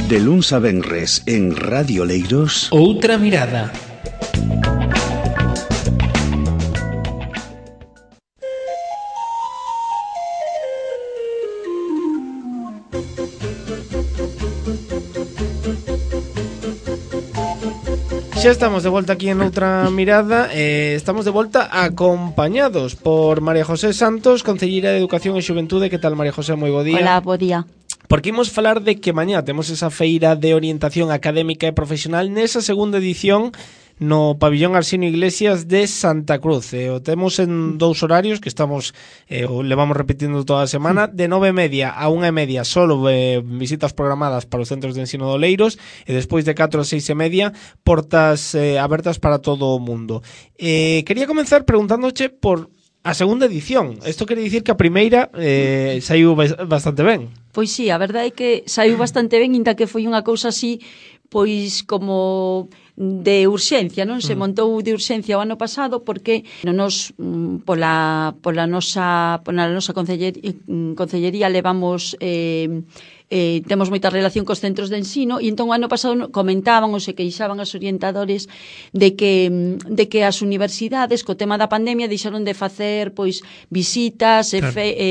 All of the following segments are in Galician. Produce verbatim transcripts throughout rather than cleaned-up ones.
De luns a venres en Radio Leiros, Outra Mirada. Xa estamos de volta aquí en Outra Mirada. eh, Estamos de volta acompañados por María José Santos, concelleira de Educación e Xuventude. Que tal, María José? Moi bo día. Hola, bo día. Porque imos falar de que mañá temos esa feira de orientación académica e profesional nesa segunda edición no pabillón Arsenio Iglesias de Santa Cruz. E o temos en dous horarios que estamos eh, o levamos repetindo toda a semana, de nove e media a unha e media solo eh, visitas programadas para os centros de ensino de Oleiros, e despois de catro a seis e media portas eh, abertas para todo o mundo. Eh, quería comenzar preguntándoche por a segunda edición. Isto quere dicir que a primeira eh, saiu bastante ben. Pois sí, a verdade é que saiu bastante ben, inda que foi unha cousa así, pois como de urxencia, non? Se montou de urxencia o ano pasado porque nos pola pola nosa pola nosa concellería, concellería levamos eh Eh, temos moita relación cos centros de ensino, e entón o ano pasado comentaban ou se queixaban os orientadores de que de que as universidades co tema da pandemia deixaron de facer pois visitas e, fe, e,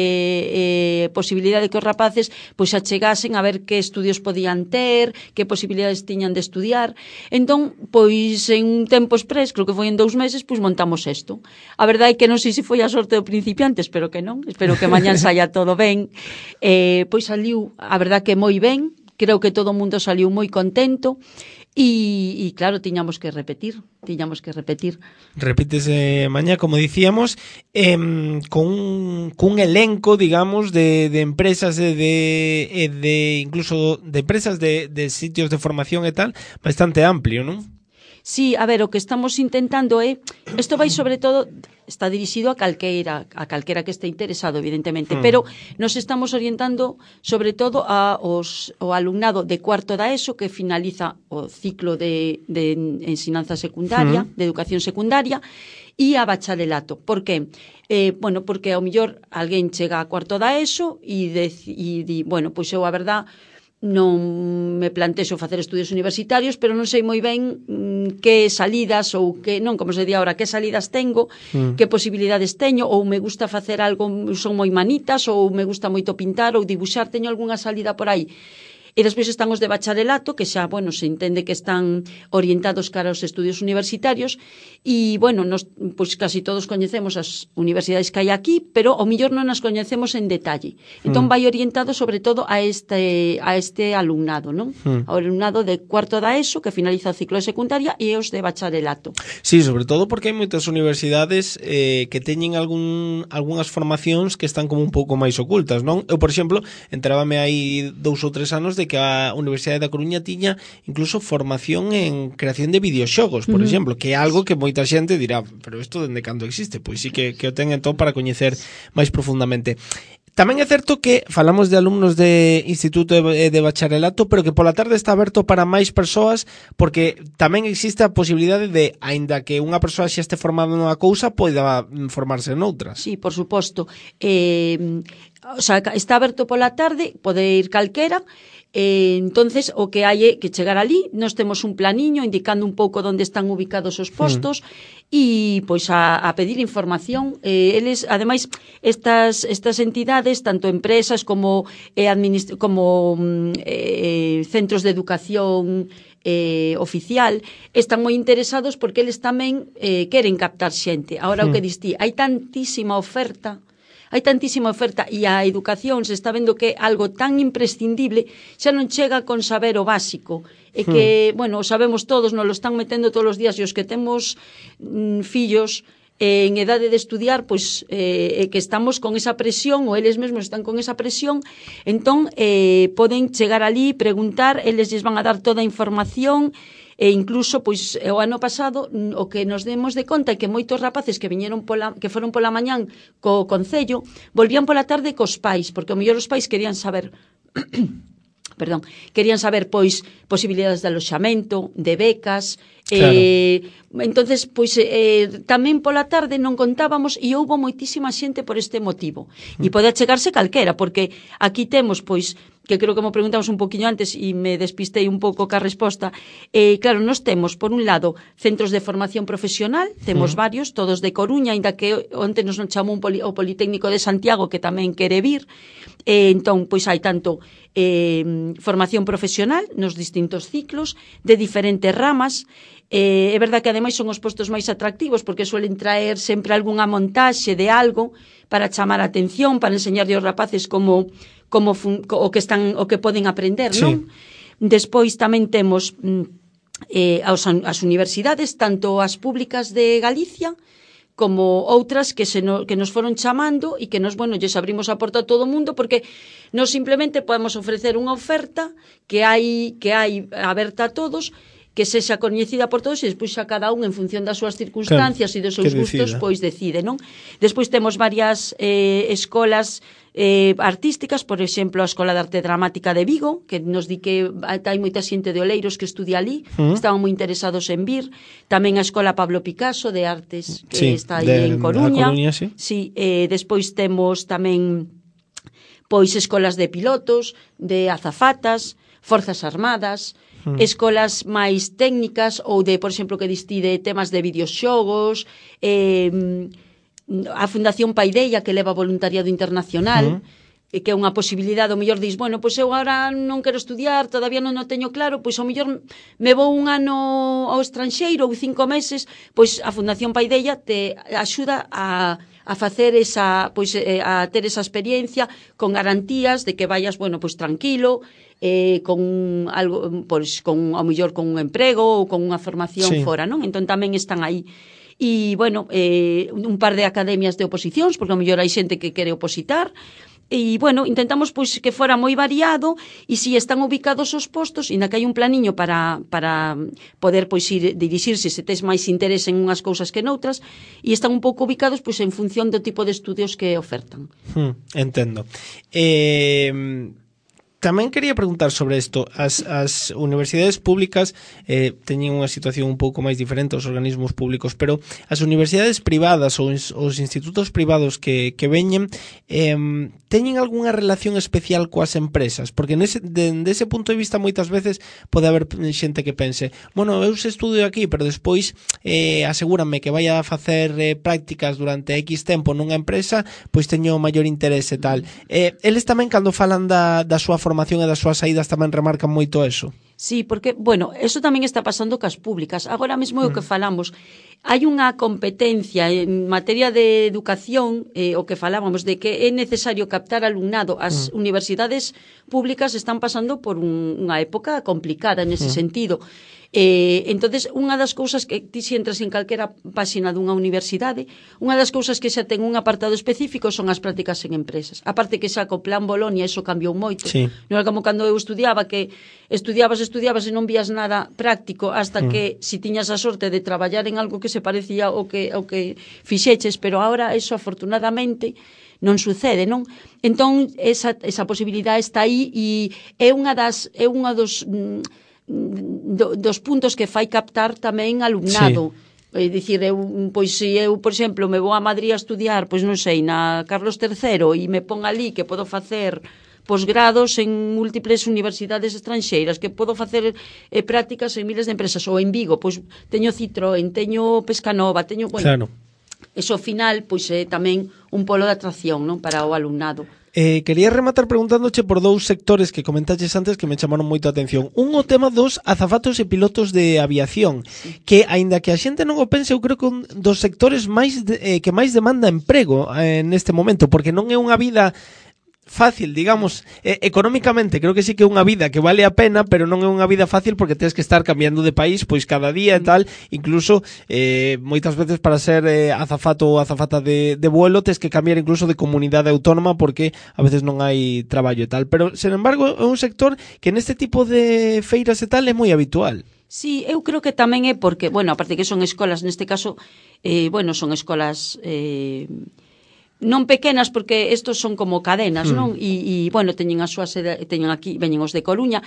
e posibilidade que os rapaces pois achegasen a ver que estudios podían ter, que posibilidades tiñan de estudiar. Entón, pois en un tempo exprés, creo que foi en dous meses, pois montamos isto. A verdade é que non sei se foi a sorte do principiante, espero que non, espero que mañán saia todo ben. Eh, pois saliu, a verdade que moi ben, creo que todo o mundo saliu moi contento e, e claro, tiñamos que repetir, tiñamos que repetir. Repítese mañá, como dicíamos, eh, con un, con un elenco, digamos, de, de empresas de, de, de incluso de empresas de, de sitios de formación e tal, bastante amplio, non? Sí, a ver, o que estamos intentando é, isto vai sobre todo, está dirixido a calqueira, a calquera que este interesado, evidentemente, mm. pero nos estamos orientando sobre todo a os, o alumnado de cuarto da ESO que finaliza o ciclo de, de ensinanza secundaria, mm. de educación secundaria, e a bacharelato. Por que? Eh, bueno, porque ao mellor alguén chega a cuarto da ESO e di, bueno, pois eu a verdad non me plantexo facer estudios universitarios, pero non sei moi ben mm, que salidas ou que, non, como se di agora, que salidas tengo, mm. que posibilidades teño, ou me gusta facer algo, son moi manitas, ou me gusta moito pintar ou dibuixar, teño algunha salida por aí. E despois están os de bacharelato, que xa, bueno, se entende que están orientados cara aos estudios universitarios, e, bueno, nos, pois casi todos coñecemos as universidades que hai aquí, pero ao millor non as coñecemos en detalle. Entón, mm. vai orientado sobre todo a este a este alumnado, non? Mm. Ao alumnado de cuarto da ESO, que finaliza o ciclo de secundaria, e os de bacharelato. Sí, sobre todo porque hai moitas universidades eh, que teñen algún algunhas formacións que están como un pouco máis ocultas, non? Eu, por exemplo, enterábame aí dous ou tres anos de que a Universidade da Coruña tiña incluso formación en creación de videoxogos, por uh-huh. exemplo, que é algo que moita xente dirá, pero isto dende cando existe? Pois sí que, que o ten entón para coñecer máis profundamente. Tamén é certo que falamos de alumnos de instituto de, de bacharelato, pero que pola tarde está aberto para máis persoas, porque tamén existe a posibilidade de, aínda que unha persoa xa este formada nunha cousa, poida formarse noutras. Sí, por suposto. Eh, o sea, está aberto pola tarde, pode ir calquera. Eh, entonces o que hai é que chegar ali, nós temos un planiño indicando un pouco onde están ubicados os postos e mm. pois a, a pedir información. Eh, eles, ademais, estas estas entidades, tanto empresas como eh, administ- como eh, centros de educación eh, oficial, están moi interesados porque eles tamén eh, queren captar xente. Agora mm. o que distí, hai tantísima oferta Hai tantísima oferta e a educación se está vendo que é algo tan imprescindible, xa non chega con saber o básico. E que, hmm. bueno, sabemos todos, nos lo están metendo todos os días, e os que temos mm, fillos eh, en edade de estudiar, pois eh, que estamos con esa presión, ou eles mesmos están con esa presión, entón eh, poden chegar ali, preguntar, eles lles van a dar toda a información. E incluso, pois, o ano pasado, o que nos demos de conta é que moitos rapaces que viñeron pola, que foron pola mañán co concello, volvían pola tarde cos pais, porque o mellor os pais querían saber perdón, querían saber, pois, posibilidades de aloxamento, de becas, claro. eh, entonces, pois, eh, tamén pola tarde non contábamos e houbo moitísima xente por este motivo. Mm. E pode achegarse calquera, porque aquí temos, pois, que creo que me preguntamos un poquinho antes e me despistei un pouco ca resposta, eh, claro, nos temos, por un lado, centros de formación profesional, temos mm. varios, todos de Coruña, ainda que onte nos non chamou un poli, o Politécnico de Santiago, que tamén quere vir, eh, entón, pois hai tanto eh, formación profesional nos distintos ciclos, de diferentes ramas. Eh, é verdade que ademais son os postos máis atractivos porque suelen traer sempre algunha montaxe de algo para chamar a atención, para enseñarlle aos rapaces como, como fun, o que están o que poden aprender, sí. non? Despois tamén temos eh, as, as universidades, tanto as públicas de Galicia como outras que se no, que nos foron chamando e que nos, bueno, lles abrimos a porta a todo o mundo porque nos simplemente podemos ofrecer unha oferta que hai que hai aberta a todos, que sexa coñecida por todos e despois a cada un en función das súas circunstancias claro, e dos seus gustos, pois decide, non? Despois temos varias eh, escolas eh, artísticas, por exemplo, a Escola de Arte Dramática de Vigo, que nos di que hai moita xente de Oleiros que estudia ali, uh -huh. estaban moi interesados en vir. Tamén a Escola Pablo Picasso de Artes, que sí, está aí de, en Coruña. Coruña sí. Sí, eh, despois temos tamén pois escolas de pilotos, de azafatas, Forzas Armadas, escolas máis técnicas ou de, por exemplo, que distide temas de videoxogos, eh, a Fundación Paideia que leva voluntariado internacional, uh-huh. e que é unha posibilidade, o mellor dis, bueno, pois eu agora non quero estudiar, todavía non o teño claro, pois o mellor me vou un ano ao estranxeiro ou cinco meses, pois a Fundación Paideia te axuda a a facer esa, pois a ter esa experiencia con garantías de que vayas, bueno, pois tranquilo, eh, con algo, pois con ao mellor con un emprego ou con unha formación sí. fora, non? Entón tamén están aí. E, bueno, eh, un par de academias de oposicións, porque ao mellor hai xente que quere opositar, e, bueno, intentamos pois que fora moi variado e si están ubicados os postos, inda que hai un planiño para, para poder pois ir dirixirse se tes máis interés en unhas cousas que noutras, e están un pouco ubicados pois en función do tipo de estudios que ofertan. Hmm, entendo. Eh... Tamén quería preguntar sobre isto. As, as universidades públicas eh, teñen unha situación un pouco máis diferente aos organismos públicos, pero as universidades privadas ou os institutos privados que, que veñen eh, teñen algunha relación especial coas empresas? Porque nese, de, de ese punto de vista moitas veces pode haber xente que pense, bueno, eu se estudio aquí, pero despois eh, asegúrame que vai a facer eh, prácticas durante X tempo nunha empresa, pois teño maior interese e tal. Eh, eles tamén cando falan da, da súa formación e das súas saídas tamén remarcan moito eso. Sí, porque, bueno, eso tamén está pasando cas públicas. Agora mesmo é o que falamos. Hai unha competencia en materia de educación, eh, o que falábamos, de que é necesario captar alumnado. As mm. universidades públicas están pasando por un, unha época complicada nese mm. sentido. Eh, entonces, unha das cousas que ti si entras en calquera páxina dunha universidade, unha das cousas que xa ten un apartado específico son as prácticas en empresas. Aparte que xa co plan Bolonia eso cambiou moito. Sí. Non é como cando eu estudiaba, que estudiabas, estudiabas e non vías nada práctico hasta mm. que si tiñas a sorte de traballar en algo que se parecía ao que, ao que fixeches, pero ahora eso afortunadamente non sucede, non? Entón, esa, esa posibilidade está aí e é unha das é unha dos Do, dos puntos que fai captar tamén alumnado. Sí. É dicir, eu, pois se eu, por exemplo, me vou a Madrid a estudiar, pois non sei, na Carlos terceiro e me pon ali que podo facer posgrados en múltiples universidades estranxeiras, que podo facer eh, prácticas en miles de empresas, ou en Vigo, pois teño Citroën, teño Pescanova, teño, bueno, claro. Eso ao final pois é tamén un polo de atracción, non, para o alumnado. Eh, quería rematar preguntándoche por dous sectores que comentaches antes que me chamaron moito a atención. Un, o tema dos azafatos e pilotos de aviación, sí. que, aínda que a xente non o pense, eu creo que un dos sectores máis de, eh, que máis demanda emprego eh, neste momento, porque non é unha vida fácil, digamos, eh, económicamente creo que sí que é unha vida que vale a pena, pero non é unha vida fácil porque tens que estar cambiando de país pois cada día e tal, incluso eh, moitas veces para ser eh, azafato ou azafata de, de vuelo tens que cambiar incluso de comunidade autónoma porque a veces non hai traballo e tal, pero sen embargo é un sector que neste tipo de feiras e tal é moi habitual. Sí, eu creo que tamén é porque, bueno, aparte que son escolas, neste caso, eh, bueno, son escolas eh, non pequenas porque estos son como cadenas, mm. non? E, e bueno, teñen a súa sede, teñen aquí, veñen os de Coruña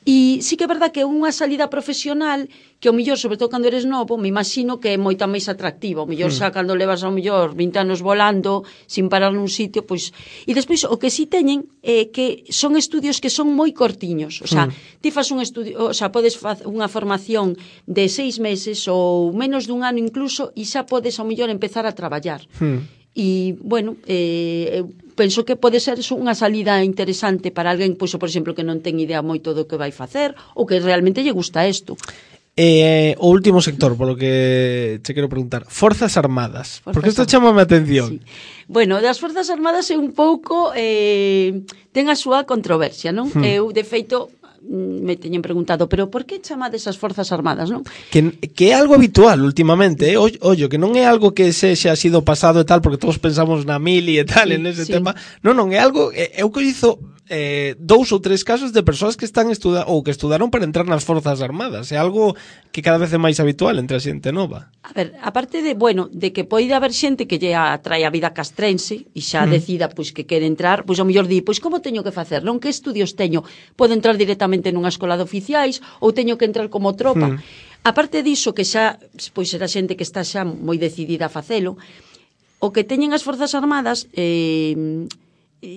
E sí que é verdad que unha salida profesional que o mellor, sobre todo cando eres novo, me imagino que é moita máis atractiva. O mellor xa cando levas ao mellor vinte anos volando sin parar nun sitio, pois... E despois o que sí teñen é que son estudios que son moi cortiños. O sea, mm. ti fas un estudio, o sea, podes facer unha formación de seis meses ou menos dun ano incluso e xa podes ao mellor empezar a traballar. Mm. E, bueno, eh, penso que pode ser unha salida interesante para alguén, pois, por exemplo, que non ten idea moito do que vai facer ou que realmente lle gusta isto. Eh, o último sector, polo que te quero preguntar, Forzas Armadas, Forzas porque isto chama a atención. Sí. Bueno, das Forzas Armadas é un pouco eh, ten a súa controversia, non? Hmm. Eu, de feito, me teñen preguntado, pero por que chamades as Forzas Armadas, non? Que, que é algo habitual últimamente, eh? Ollo, que non é algo que se xa sido pasado e tal, porque todos pensamos na mili e tal, sí, en ese sí. tema. Non, non, é algo, eu coñezo eh, dous ou tres casos de persoas que están estuda ou que estudaron para entrar nas Forzas Armadas. É algo que cada vez é máis habitual entre a xente nova. A ver, aparte de, bueno, de que poida haber xente que lle atrae a vida castrense e xa mm. decida pois que quere entrar, pois ao mellor di, pois como teño que facer? Non, que estudios teño? Podo entrar directamente nunha escola de oficiais ou teño que entrar como tropa? Mm. Aparte diso, que xa, pois será xente que está xa moi decidida a facelo, o que teñen as Forzas Armadas, eh,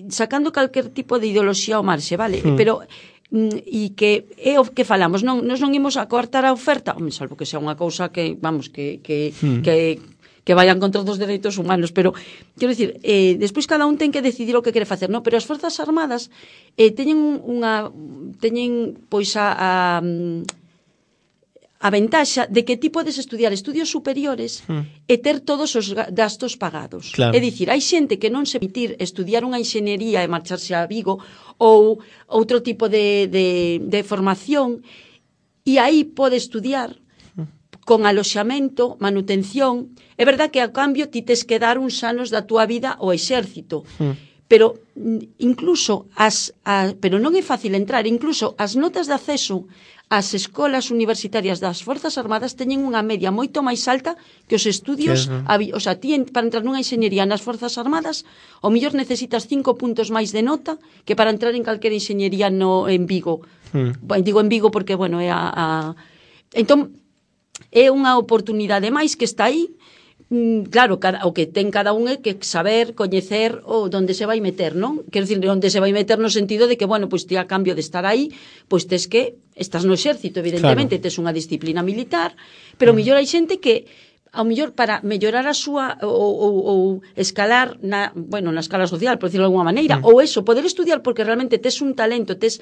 sacando calquer tipo de ideoloxía ao marxe, vale? Mm. Pero e que é o que falamos, non nos non imos a coartar a oferta, home, salvo que sea unha cousa que, vamos, que que mm. que que vayan contra os dereitos humanos, pero quero dicir, eh, despois cada un ten que decidir o que quere facer, non? Pero as Forzas Armadas eh, teñen unha teñen pois a, a a ventaxa de que ti podes estudiar estudios superiores mm. e ter todos os gastos pagados. Claro. É dicir, hai xente que non se permitir estudiar unha enxeñería e marcharse a Vigo ou outro tipo de, de, de formación e aí pode estudiar mm. con aloxamento, manutención. É verdad que a cambio ti tes que dar uns anos da túa vida ao exército. Mm. Pero incluso as, a, pero non é fácil entrar, incluso as notas de acceso as escolas universitarias das Forzas Armadas teñen unha media moito máis alta que os estudios, sí, o sea, ti para entrar nunha enxeñería nas Forzas Armadas, o mellor necesitas cinco puntos máis de nota que para entrar en calquera enxeñería no en Vigo. Hmm. Digo en Vigo porque, bueno, é a, a... Entón, é unha oportunidade máis que está aí. Claro, cada, o que ten cada un é que saber, coñecer o onde se vai meter, non? Quero dicir, onde se vai meter no sentido de que, bueno, pois ti a cambio de estar aí, pois tes que, estás no exército, evidentemente, claro, tes unha disciplina militar, pero mm. mellor hai xente que, ao mellor para mellorar a súa, ou, ou, ou escalar, na, bueno, na escala social, por decirlo de alguma maneira, mm. ou eso, poder estudiar porque realmente tes un talento, tes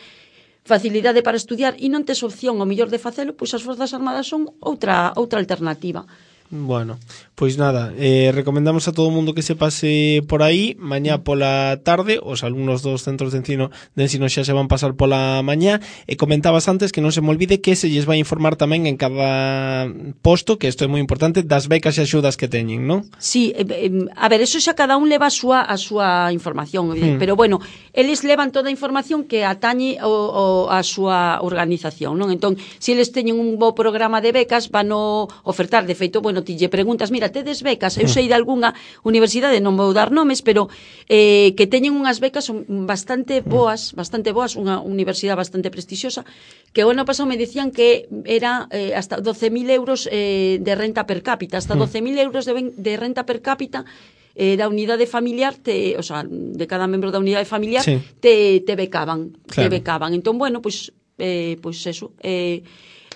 facilidade para estudiar e non tes opción, ao mellor de facelo, pois as Forzas Armadas son outra outra alternativa. Bueno, pois nada, eh, recomendamos a todo o mundo que se pase por aí mañá pola tarde, os alumnos dos centros de ensino de ensino xa se van pasar pola mañá, e comentabas antes que non se me olvide que se lles vai informar tamén en cada posto, que isto é moi importante, das becas e axudas que teñen, non? Sí, eh, eh, a ver, eso xa cada un leva a súa, a súa información, mm. pero bueno, eles levan toda a información que atañe o, o, a súa organización, non? Entón, se eles teñen un bo programa de becas, van a ofertar, de feito, bueno, ti lle preguntas, mira, tedes becas, eu sei de algunha universidade, non vou dar nomes, pero eh, que teñen unhas becas bastante boas, bastante boas, unha universidade bastante prestixiosa, que o ano pasado me dicían que era eh, hasta doce mil euros eh, de renta per cápita, hasta doce mil euros de, de renta per cápita eh, da unidade familiar, te, o sea, de cada membro da unidade familiar, sí, te, te becaban, claro, te becaban. Entón, bueno, pois, pues, eh, pois pues eso, eh,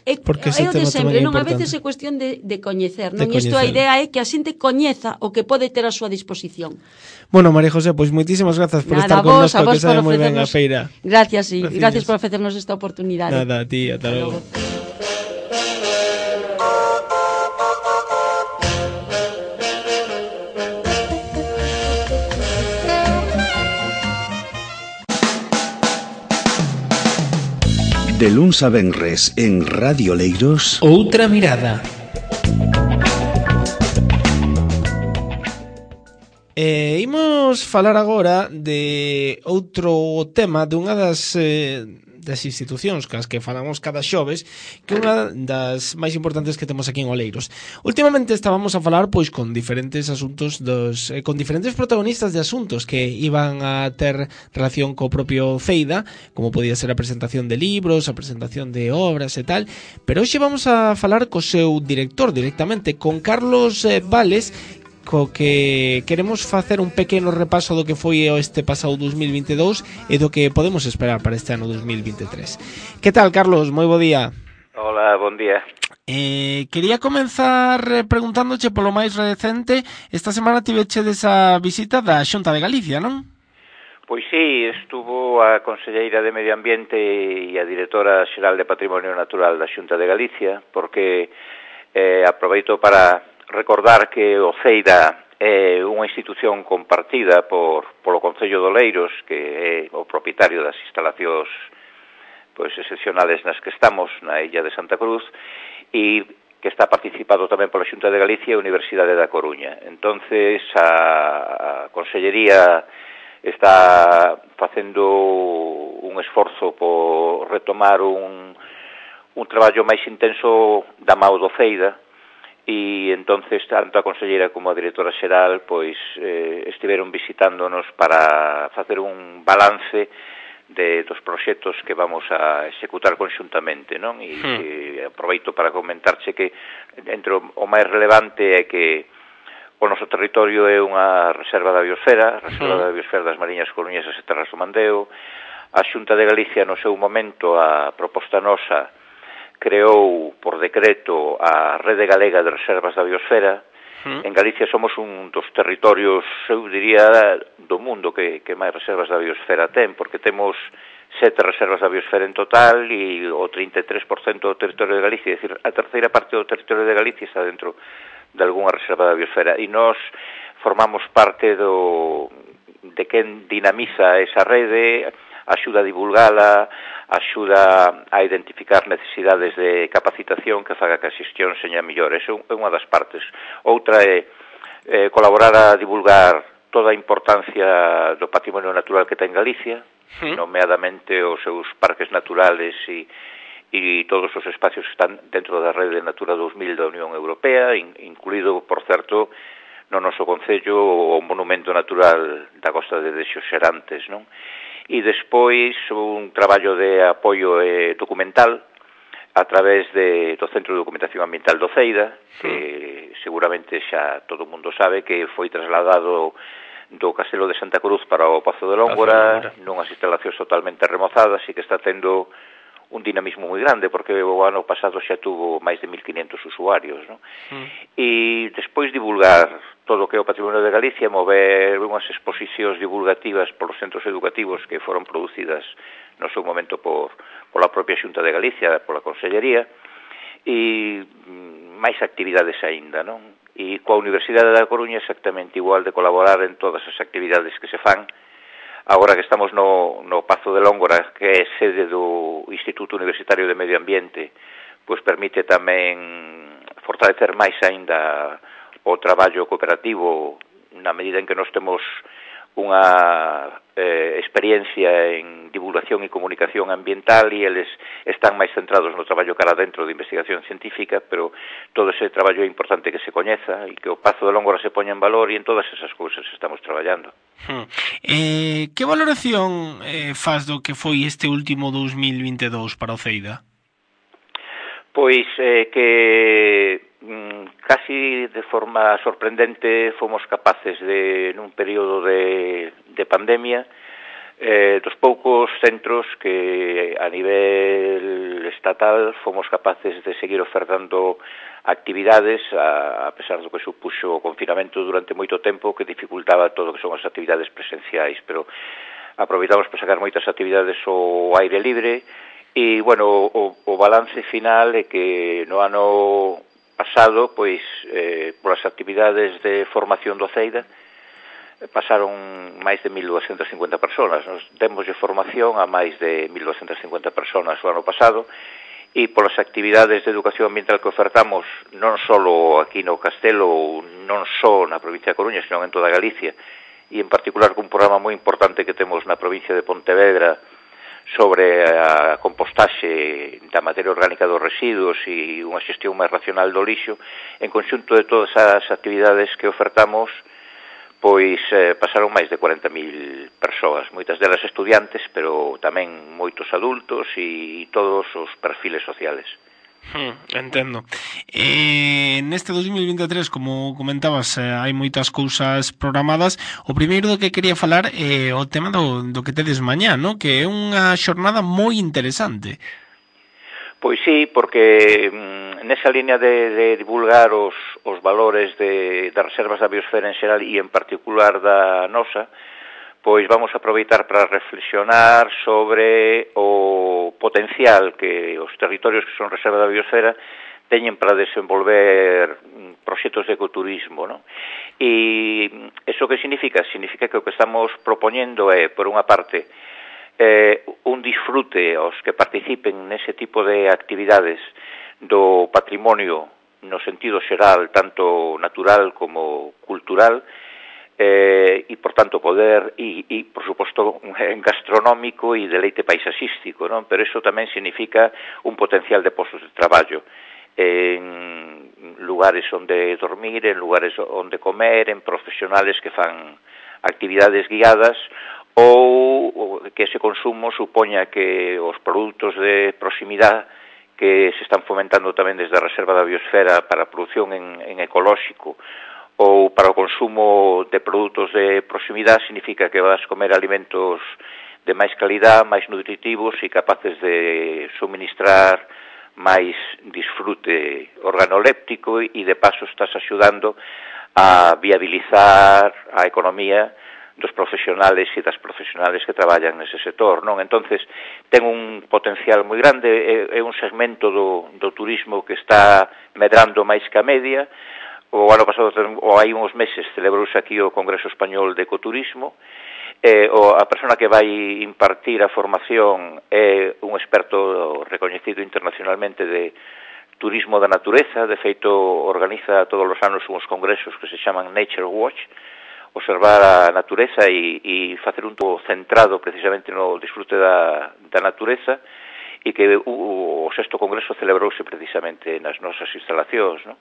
É, é o de sempre, non? A veces é cuestión de, de coñecer, non? De Isto a idea é que a xente coñeza o que pode ter a súa disposición. Bueno, María José, pois moitísimas grazas por Nada, estar con nos, que sabe moi ben a feira. Gracias, e gracias por ofrecernos esta oportunidade. Nada, a ti, ata logo. De luns a venres en Radio Leiros, Outra Mirada. Eh, imos falar agora de outro tema, dunha das, eh, das institucións cas que falamos cada xoves, que é unha das máis importantes que temos aquí en Oleiros. Últimamente estábamos a falar pois con diferentes asuntos dos eh, con diferentes protagonistas de asuntos que iban a ter relación co propio Ceida, como podía ser a presentación de libros, a presentación de obras e tal, pero hoxe vamos a falar co seu director directamente, con Carlos eh, Vales, co que queremos facer un pequeno repaso do que foi este pasado dos mil vinte e dous e do que podemos esperar para este ano dos mil vinte e tres. Que tal, Carlos? Moi bo día. Hola, bon día. Eh, quería comenzar preguntándoche polo máis recente. Esta semana tiveche desa visita da Xunta de Galicia, non? Pois sí, estuvo a Conselleira de Medio Ambiente e a Directora Xeral de Patrimonio Natural da Xunta de Galicia, porque eh, aproveito para recordar que o Ceida é unha institución compartida por polo Concello de Oleiros, que é o propietario das instalacións pois excepcionales nas que estamos na illa de Santa Cruz, e que está participado tamén pola Xunta de Galicia e a Universidade da Coruña. Entonces a, a Consellería está facendo un esforzo por retomar un, un traballo máis intenso da mao do Ceida, e entonces tanto a conselleira como a directora xeral pois eh, estiveron visitándonos para facer un balance de dos proxectos que vamos a executar conxuntamente, non? E, hmm. e aproveito para comentarche que entre o máis relevante é que o noso territorio é unha reserva da biosfera, a reserva hmm. da biosfera das Mariñas Coruñesas e Terras do Mandeo. A Xunta de Galicia, no seu momento, a proposta nosa, creou por decreto a Rede Galega de Reservas da Biosfera. Mm. En Galicia somos un dos territorios, eu diría, do mundo que, que máis reservas da biosfera ten, porque temos sete reservas da biosfera en total e o trinta e tres por cento do territorio de Galicia, é dicir, a terceira parte do territorio de Galicia está dentro de algunha reserva da biosfera, e nós formamos parte do de quen dinamiza esa rede, axuda a divulgala, axuda a identificar necesidades de capacitación que faga que a xestión seña mellor. Eso é unha das partes. Outra é eh, colaborar a divulgar toda a importancia do patrimonio natural que ten Galicia, sí. nomeadamente os seus parques naturales e, e todos os espacios que están dentro da rede Natura dos mil da Unión Europea, in, incluído, por certo, no noso concello o Monumento Natural da Costa de Dexos Xerantes, non? E despois un traballo de apoio eh, documental a través de, do Centro de Documentación Ambiental do Ceida, que mm. seguramente xa todo o mundo sabe que foi trasladado do Castelo de Santa Cruz para o Pazo de Lóngora, nunhas instalacións totalmente remozadas e que está tendo un dinamismo moi grande, porque o ano pasado xa tuvo máis de mil quinhentos usuarios, non? Mm. E despois divulgar todo o que é o patrimonio de Galicia, mover unhas exposicións divulgativas polos centros educativos que foron producidas no seu momento por pola propia Xunta de Galicia, pola Consellería, e máis actividades aínda, non? E coa Universidade da Coruña exactamente igual, de colaborar en todas as actividades que se fan. Agora que estamos no, no Pazo de Lóngora, que é sede do Instituto Universitario de Medio Ambiente, pois permite tamén fortalecer máis aínda o traballo cooperativo, na medida en que nós temos unha eh, experiencia en divulgación e comunicación ambiental e eles están máis centrados no traballo cara dentro de investigación científica, pero todo ese traballo é importante que se coñeza e que o Pazo de Lóngora se poña en valor, e en todas esas cousas estamos traballando. Hmm. Eh, que valoración eh, faz do que foi este último dos mil vinte e dous para o Ceida? Pois eh, que mm, casi de forma sorprendente fomos capaces de, nun período de, de pandemia, eh, dos poucos centros que a nivel estatal fomos capaces de seguir ofertando actividades, a, a pesar do que supuxo o confinamento durante moito tempo, que dificultaba todo o que son as actividades presenciais, pero aproveitamos para sacar moitas actividades ao aire libre. E, bueno, o, o balance final é que no ano pasado, pois, eh, polas actividades de formación do Ceida, pasaron máis de mil doscientas cincuenta personas. Nos demos de formación a máis de mil doscientas cincuenta personas o ano pasado, e polas actividades de educación ambiental que ofertamos, non só aquí no Castelo, non só na provincia de Coruña, senón en toda Galicia, e en particular cun programa moi importante que temos na provincia de Pontevedra, sobre a compostaxe da materia orgánica dos residuos e unha xestión máis racional do lixo. En conxunto de todas as actividades que ofertamos, pois eh, pasaron máis de cuarenta mil persoas, moitas delas estudiantes, pero tamén moitos adultos e todos os perfiles sociales. Hmm, entendo. Eh, neste dos mil vinte e tres, como comentabas, eh, hai moitas cousas programadas. O primeiro do que quería falar é eh, o tema do, do que tedes mañá, ¿no? Que é unha xornada moi interesante. Pois sí, porque mm, nesa línea de, de divulgar os, os valores de, das reservas da biosfera en xeral e en particular da nosa, pois vamos a aproveitar para reflexionar sobre o potencial que os territorios que son reserva da biosfera teñen para desenvolver proxectos de ecoturismo, non? E iso que significa? Significa que o que estamos propoñendo é, por unha parte, eh, un disfrute aos que participen nese tipo de actividades do patrimonio no sentido xeral, tanto natural como cultural, Eh, e, por tanto, poder e, e, por suposto, en gastronómico e deleite paisaxístico, non? Pero iso tamén significa un potencial de postos de traballo en lugares onde dormir, en lugares onde comer, en profesionales que fan actividades guiadas ou que ese consumo supoña que os produtos de proximidade que se están fomentando tamén desde a Reserva da Biosfera para a produción en, en ecolóxico ou para o consumo de produtos de proximidade, significa que vas comer alimentos de máis calidad, máis nutritivos e capaces de suministrar máis disfrute organoléptico e de paso estás axudando a viabilizar a economía dos profesionales e das profesionales que traballan nese sector, non? Entonces, ten un potencial moi grande, é, é un segmento do, do turismo que está medrando máis que a media. O ano pasado, ou hai uns meses, celebrouse aquí o Congreso Español de Ecoturismo. Eh, o, a persona que vai impartir a formación é un experto recoñecido internacionalmente de turismo da natureza. De feito, organiza todos os anos uns congresos que se chaman Nature Watch, observar a natureza e, e facer un todo centrado precisamente no disfrute da, da natureza, e que o, o sexto congreso celebrouse precisamente nas nosas instalacións, non?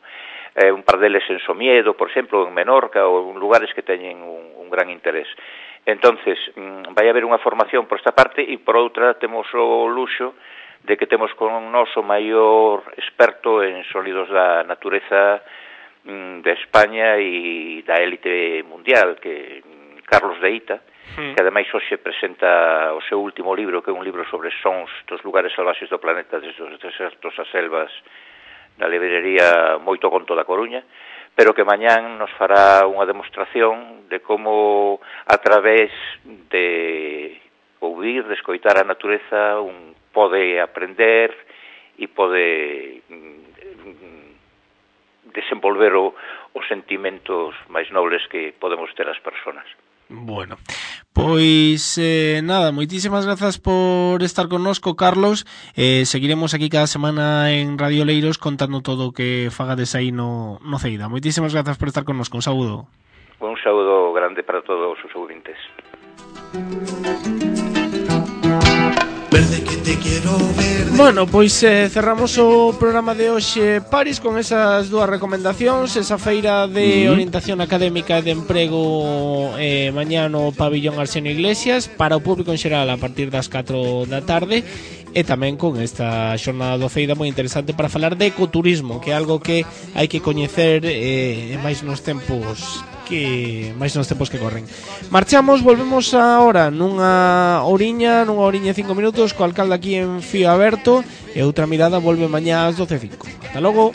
Eh, un par deles en Somiedo, por exemplo, en Menorca, ou en lugares que teñen un, un gran interés. Entonces, vai haber unha formación por esta parte, e por outra temos o luxo de que temos con nós o maior experto en sólidos da natureza de España e da élite mundial, que Carlos de Ita, que ademais hoxe presenta o seu último libro, que é un libro sobre sons dos lugares salvaxes do planeta, desde os desertos ás selvas, na librería Moito Conto da Coruña, pero que mañán nos fará unha demostración de como, a través de ouvir, de escoitar a natureza, un pode aprender e pode desenvolver o, os sentimentos máis nobles que podemos ter as persoas. Bueno, pois eh, nada, moitísimas grazas por estar connosco, Carlos. eh, Seguiremos aquí cada semana en Radio Leiros contando todo o que fagades aí no, no Ceida. Moitísimas grazas por estar connosco, un saúdo. Un saúdo grande para todos os ouvintes. Bueno, pois eh, cerramos o programa de hoxe, Paris, con esas dúas recomendacións. Esa feira de uh-huh. orientación académica e de emprego eh, mañá no pabillón Arsenio Iglesias para o público en xeral a partir das catro da tarde, e tamén con esta xornada do Ceida moi interesante para falar de ecoturismo, que é algo que hai que coñecer eh, máis nos tempos que máis nos tempos que corren. Marchamos, volvemos agora nunha horiña, nunha horiña e cinco minutos co alcalde aquí en Fío Aberto, e outra mirada volve mañá ás doce e cinco. Ata logo.